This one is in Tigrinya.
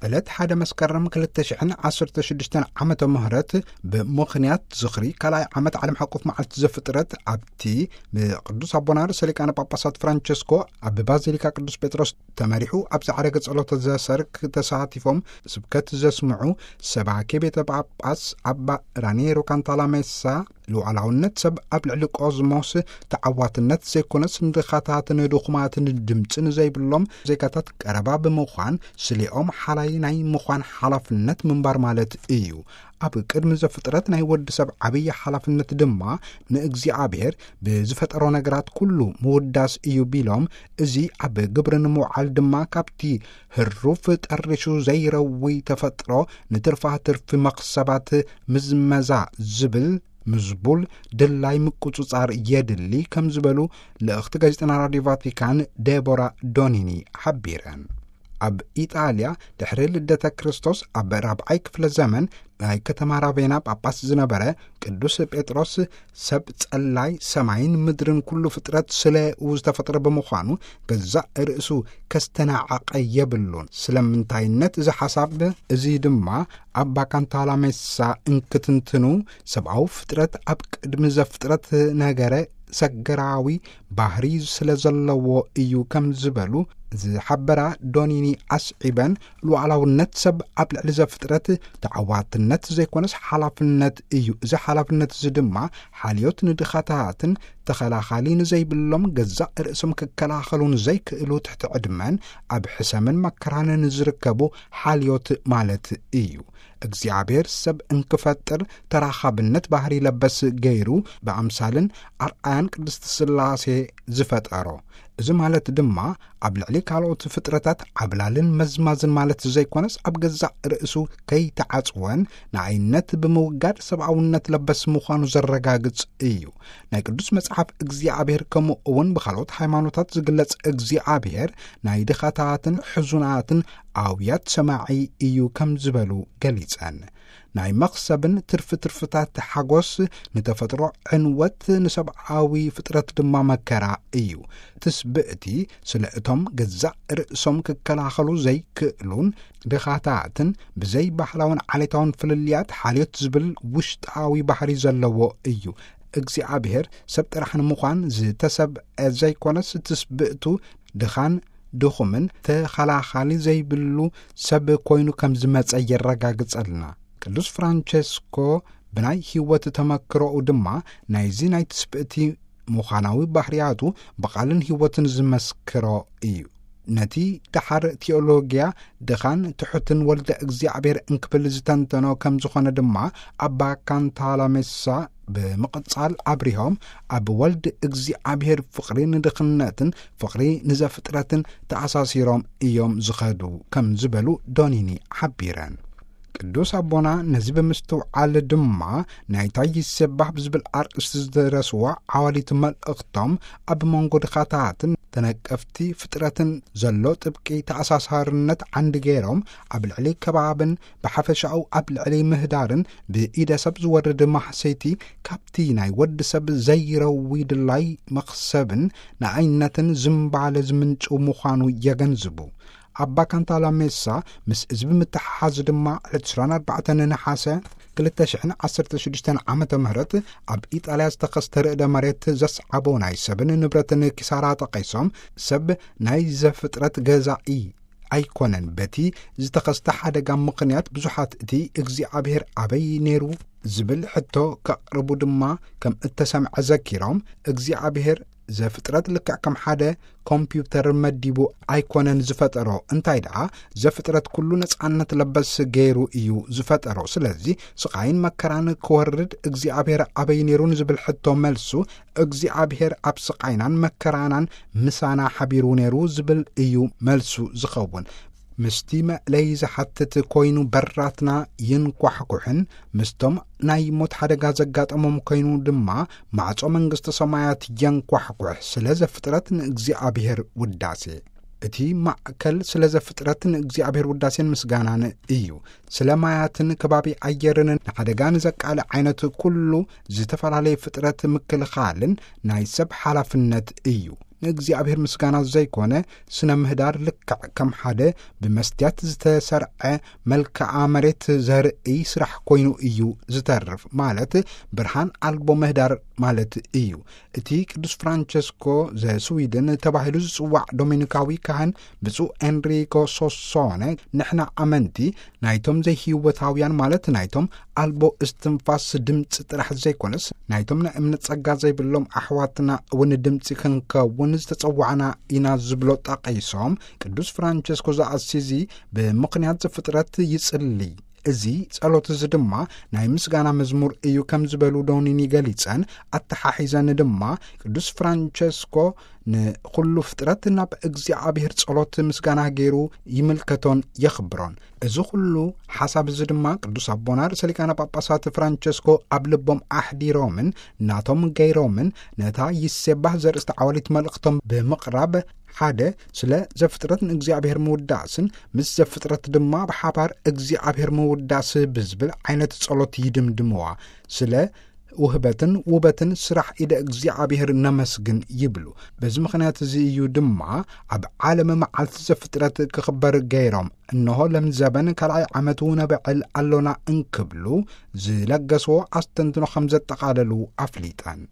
ዕለት ሓደ መስከረም ክልተ ሽሕን ዓሰርተ ሽዱሽተን ዓመተ ምህረት ብምኽንያት ዝኽሪ ካልኣይ ዓመት ዓለም ሓቆፍ መዓልቲ ዘፍጥረት፣ ኣብቲ ብቅዱስ ኣቦና ርእሰ ሊቃነ ጳጳሳት ፍራንቸስኮ ኣብ ባዚሊካ ቅዱስ ጴጥሮስ ተመሪሑ ኣብ ዝዓረገ ጸሎተ ዘሰርክ ተሳቲፎም ስብከት ዘስምዑ ሰባኬ ቤተ ጳጳስ ኣባ ራኔሮ ካንታላሜሳ፣ ልዑላውነት ሰብ ኣብ ልዕሊ ቆዝሞስ ተዓዋትነት ዘይኮነስ፣ ንድኻታትን ድኹማትን ድምፂ ንዘይብሎም ዜጋታት ቀረባ ብምዃን፣ ስሌኦም ሓላይ ናይ ምዃን ሓላፍነት ምንባር ማለት እዩ። ኣብ ቅድሚ ዘፍጥረት ናይ ወዲ ሰብ ዓብዪ ሓላፍነት ድማ ንእግዚኣብሔር ብዝፈጠሮ ነገራት ኩሉ ምውዳስ እዩ ቢሎም፣ እዚ ኣብ ግብሪ ንምውዓል ድማ ካብቲ ህሩፍ ጠሪሹ ዘይረዊ ተፈጥሮ ንትርፋ ትርፊ መኽሰባት ምዝመዛ ዝብል ምዝቡል ድላይ ምቁጽጻር የድሊ ከም ዝበሉ ልእኽቲ ጋዜጠና ራዲዮ ቫቲካን ዴቦራ ዶኒኒ ሓቢረን። ኣብ ኢጣልያ ድሕሪ ልደተ ክርስቶስ ኣብ ራብዓይ ክፍለ ዘመን ናይ ከተማ ራቬና ጳጳስ ዝነበረ ቅዱስ ጴጥሮስ፣ ሰብ ጸላይ ሰማይን ምድርን ኩሉ ፍጥረት ስለኡ ዝተፈጥረ ብምዃኑ፣ ገዛእ ርእሱ ከስተናዕቐ የብሉን። ስለምንታይነት እዚ ሓሳብ እዚ ድማ ኣባ ካንታላሜሳ እንክትንትኑ፣ ሰብኣዊ ፍጥረት ኣብ ቅድሚ ዘፍጥረት ነገረ ሰገራዊ ባህሪ ስለ ዘለዎ እዩ ከም ዝበሉ ዝሓበራ ዶኒኒ ኣስዒበን፣ ሉዓላውነት ሰብ ኣብ ልዕሊ ዘፍጥረት ተዓዋትነት ዘይኮነስ ሓላፍነት እዩ። እዚ ሓላፍነት እዚ ድማ ሓልዮት ንድኻታትን ተኸላኻሊ ንዘይብሎም ገዛእ ርእሶም ክከላኸሉ ንዘይክእሉ ትሕቲ ዕድመን ኣብ ሕሰምን መከራን ንዝርከቡ ሓልዮት ማለት እዩ። እግዚኣብሔር ሰብ እንክፈጥር ተራኻብነት ባህሪ ለበስ ገይሩ ብኣምሳልን ኣርኣያን ቅድስቲ ስላሴ ዝፈጠሮ። እዚ ማለት ድማ ኣብ ልዕሊ ካልኦት ፍጥረታት ዓብላልን መዝማዝን ማለት ዘይኮነስ፣ ኣብ ገዛእ ርእሱ ከይተዓጽወን ንኣይነት ብምውጋድ ሰብኣውነት ለበስ ምዃኑ ዘረጋግጽ እዩ። ናይ ቅዱስ መጽሓፍ እግዚኣብሔር ከምኡ እውን ብኻልኦት ሃይማኖታት ዝግለጽ እግዚኣብሔር ናይ ድኻታትን ሕዙናትን ኣውያት ሰማዒ እዩ ከም ዝበሉ ገሊጸን። ናይ መኽሰብን ትርፊ ትርፍታት ሓጎስ፣ ንተፈጥሮ ዕንወት፣ ንሰብኣዊ ፍጥረት ድማ መከራ እዩ። ትስብእቲ ስለ እቶም ገዛእ ርእሶም ክከላኸሉ ዘይክእሉን ድኻታትን ብዘይ ባህላውን ዓሌታውን ፍልልያት ሓልዮት ዝብል ውሽጣዊ ባህሪ ዘለዎ እዩ። እግዚኣብሔር ሰብ ጥራሕ ንምዃን ዝተሰብአ ዘይኮነስ፣ ትስብእቱ ድኻን ድኹምን ተኸላኻሊ ዘይብሉ ሰብ ኮይኑ ከም ዝመጸ የረጋግጸልና። ቅዱስ ፍራንቸስኮ ብናይ ህይወት ተመክሮኡ ድማ ናይዚ ናይ ትስብእቲ ምዃናዊ ባህርያቱ ብቓልን ህይወትን ዝመስክሮ እዩ። ነቲ ደሓር ቲዮሎጊያ ድኻን ትሑትን ወልደ እግዚኣብሔር እንክብል ዝተንተኖ ከም ዝኾነ ድማ ኣባ ካንታላሜሳ ብምቕጻል ኣብሪሆም፣ ኣብ ወልድ እግዚኣብሔር ፍቕሪ ንድኽነትን ፍቕሪ ንዘፍጥረትን ተኣሳሲሮም እዮም ዝኸዱ ከም ዝበሉ ዶኒኒ ሓቢረን። ቅዱስ ኣቦና ነዚ ብምስትውዓል ድማ፣ ናይታ ይሴባህ ብዝብል ኣርእስቲ ዝደረስዋ ዓዋሊት መልእኽቶም፣ ኣብ መንጎ ድኻታትን ተነቀፍቲ ፍጥረትን ዘሎ ጥብቂ ተኣሳሳርነት ዓንዲ ገይሮም፣ ኣብ ልዕሊ ከባብን ብሓፈሻኡ ኣብ ልዕሊ ምህዳርን ብኢደ ሰብ ዝወርድ ማህሰይቲ፣ ካብቲ ናይ ወዲ ሰብ ዘይረዊ ድላይ መኽሰብን ንኣይነትን ዝምባለ ዝምንጭው ምዃኑ የገንዝቡ። ኣባ ካንታላሜሳ ምስ እዚ ብምትሓሓዝ ድማ፣ ዕለት ዕስራን ኣርባዕተን ነሓሰ ክልተ ሽሕን ዓሰርተ ሽዱሽተን ዓመተ ምህረት ኣብ ኢጣልያ ዝተኸስተ ርእደ መሬት ዘስዓቦ ናይ ሰብን ንብረትን ኪሳራ ጠቒሶም፣ ሰብ ናይ ዘፍጥረት ገዛኢ ኣይኮነን፣ በቲ ዝተኸስተ ሓደጋ ምኽንያት ብዙሓት እቲ እግዚኣብሔር ኣበይ ነይሩ ዝብል ሕቶ ከቕርቡ ድማ ከም እተሰምዐ ዘኪሮም፣ እግዚኣብሔር ዘፍጥረት ልክዕ ከም ሓደ ኮምፒውተር መዲቡ ኣይኮነን ዝፈጠሮ፣ እንታይ ደኣ ዘፍጥረት ኩሉ ነጻነት ለበስ ገይሩ እዩ ዝፈጠሮ። ስለዚ ስቓይን መከራን ክወርድ እግዚኣብሔር ኣበይ ነይሩ ንዝብል ሕቶ መልሱ፣ እግዚኣብሔር ኣብ ስቓይናን መከራናን ምሳና ሓቢሩ ነይሩ ዝብል እዩ መልሱ ዝኸውን። ምስቲ መእለይ ዝሓትት ኮይኑ በራትና ይንኳሕኩሕን፣ ምስቶም ናይ ሞት ሓደጋ ዘጋጠሞም ኮይኑ ድማ ማዕጾ መንግስቲ ሰማያት የንኳሕኩሕ። ስለ ዘፍጥረት ንእግዚኣብሔር ውዳሴ። እቲ ማእከል ስለ ዘፍጥረት ንእግዚኣብሔር ውዳሴን ምስጋናን እዩ። ስለ ማያትን ከባቢ ኣየርን ንሓደጋ ንዘቃልዕ ዓይነት ኩሉ ዝተፈላለየ ፍጥረት ምክልኻልን ናይ ሰብ ሓላፍነት እዩ። ንእግዚኣብሔር ምስጋና ዘይኮነ፣ ስነ ምህዳር ልክዕ ከም ሓደ ብመስትያት ዝተሰርዐ መልክዓ መሬት ዘርእይ ስራሕ ኮይኑ እዩ ዝተርፍ። ማለት ብርሃን ኣልቦ ምህዳር ማለት እዩ። እቲ ቅዱስ ፍራንቸስኮ ዘስዊድን ተባሂሉ ዝጽዋዕ ዶሚኒካዊ ካህን ብፁዕ ኤንሪኮ ሶሶነ፣ ንሕና ኣመንቲ ናይቶም ዘይህይወታውያን፣ ማለት ናይቶም ኣልቦ እስትንፋስ ድምፂ ጥራሕ ዘይኮነስ፣ ናይቶም ናይ እምነት ጸጋ ዘይብሎም ኣሕዋትና እውን ድምፂ ክንከውን ዝተጸዋዕና ኢና ዝብሎ ጠቒሶም፣ ቅዱስ ፍራንቸስኮ ዘኣሲዚ ብምኽንያት ዘፍጥረት ይጽሊ። እዚ ጸሎት እዚ ድማ ናይ ምስጋና መዝሙር እዩ ከም ዝበሉ ዶኒኒ ገሊጸን፣ ኣተሓሒዘን ድማ ቅዱስ ፍራንቸስኮ ንኹሉ ፍጥረት ናብ እግዚኣብሔር ጸሎት ምስጋና ገይሩ ይምልከቶን የኽብሮን። እዚ ኹሉ ሓሳብ እዚ ድማ ቅዱስ ኣቦና ርእሰ ሊቃነ ጳጳሳት ፍራንቸስኮ ኣብ ልቦም ኣሕዲሮምን ናቶም ገይሮምን፣ ነታ ይሴባህ ዘርእስቲ ዓዋሊት መልእኽቶም ብምቕራብ፣ ሓደ ስለ ዘፍጥረት ንእግዚኣብሔር ምውዳስን ምስ ዘፍጥረት ድማ ብሓባር እግዚኣብሔር ምውዳስ ብዝብል ዓይነት ጸሎት ይድምድምዋ። ስለ ውህበትን ውበትን ስራሕ ኢደ እግዚኣብሔር ነመስግን ይብሉ። በዚ ምኽንያት እዚ እዩ ድማ ኣብ ዓለም መዓልቲ ዘፍጥረት ክኽበር ገይሮም። እንሆ ለምዘበን ካልኣይ ዓመቱ ነበዕል ኣሎና እንክብሉ ዝለገስዎ ኣስተንትኖ ከም ዘጠቓለሉ ኣፍሊጠን።